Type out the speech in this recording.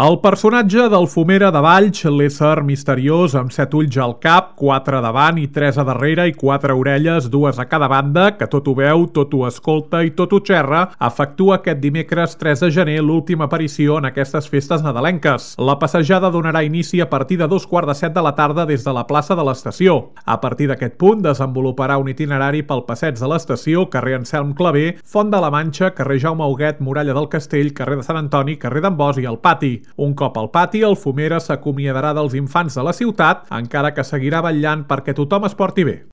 El personatge del Fumera de Valls, l'ésser misteriós amb 7 ulls al cap, 4 davant i 3 a darrere i 4 orelles, 2 a cada banda, que tot ho veu, tot ho escolta i tot ho xerra, efectua aquest dimecres 3 de gener l'última aparició en aquestes festes nadalenques. La passejada donarà inici a partir de 2:15 de la tarda des de la plaça de l'estació. A partir d'aquest punt desenvoluparà un itinerari pel passeig de l'estació, carrer Anselm Clavé, Font de la Manxa, carrer Jaume Huguet, Muralla del Castell, carrer de Sant Antoni, carrer d'en Bos i el Pati. Un cop al pati, el Fumera s'acomiadarà dels infants de la ciutat, encara que seguirà vetllant perquè tothom es porti bé.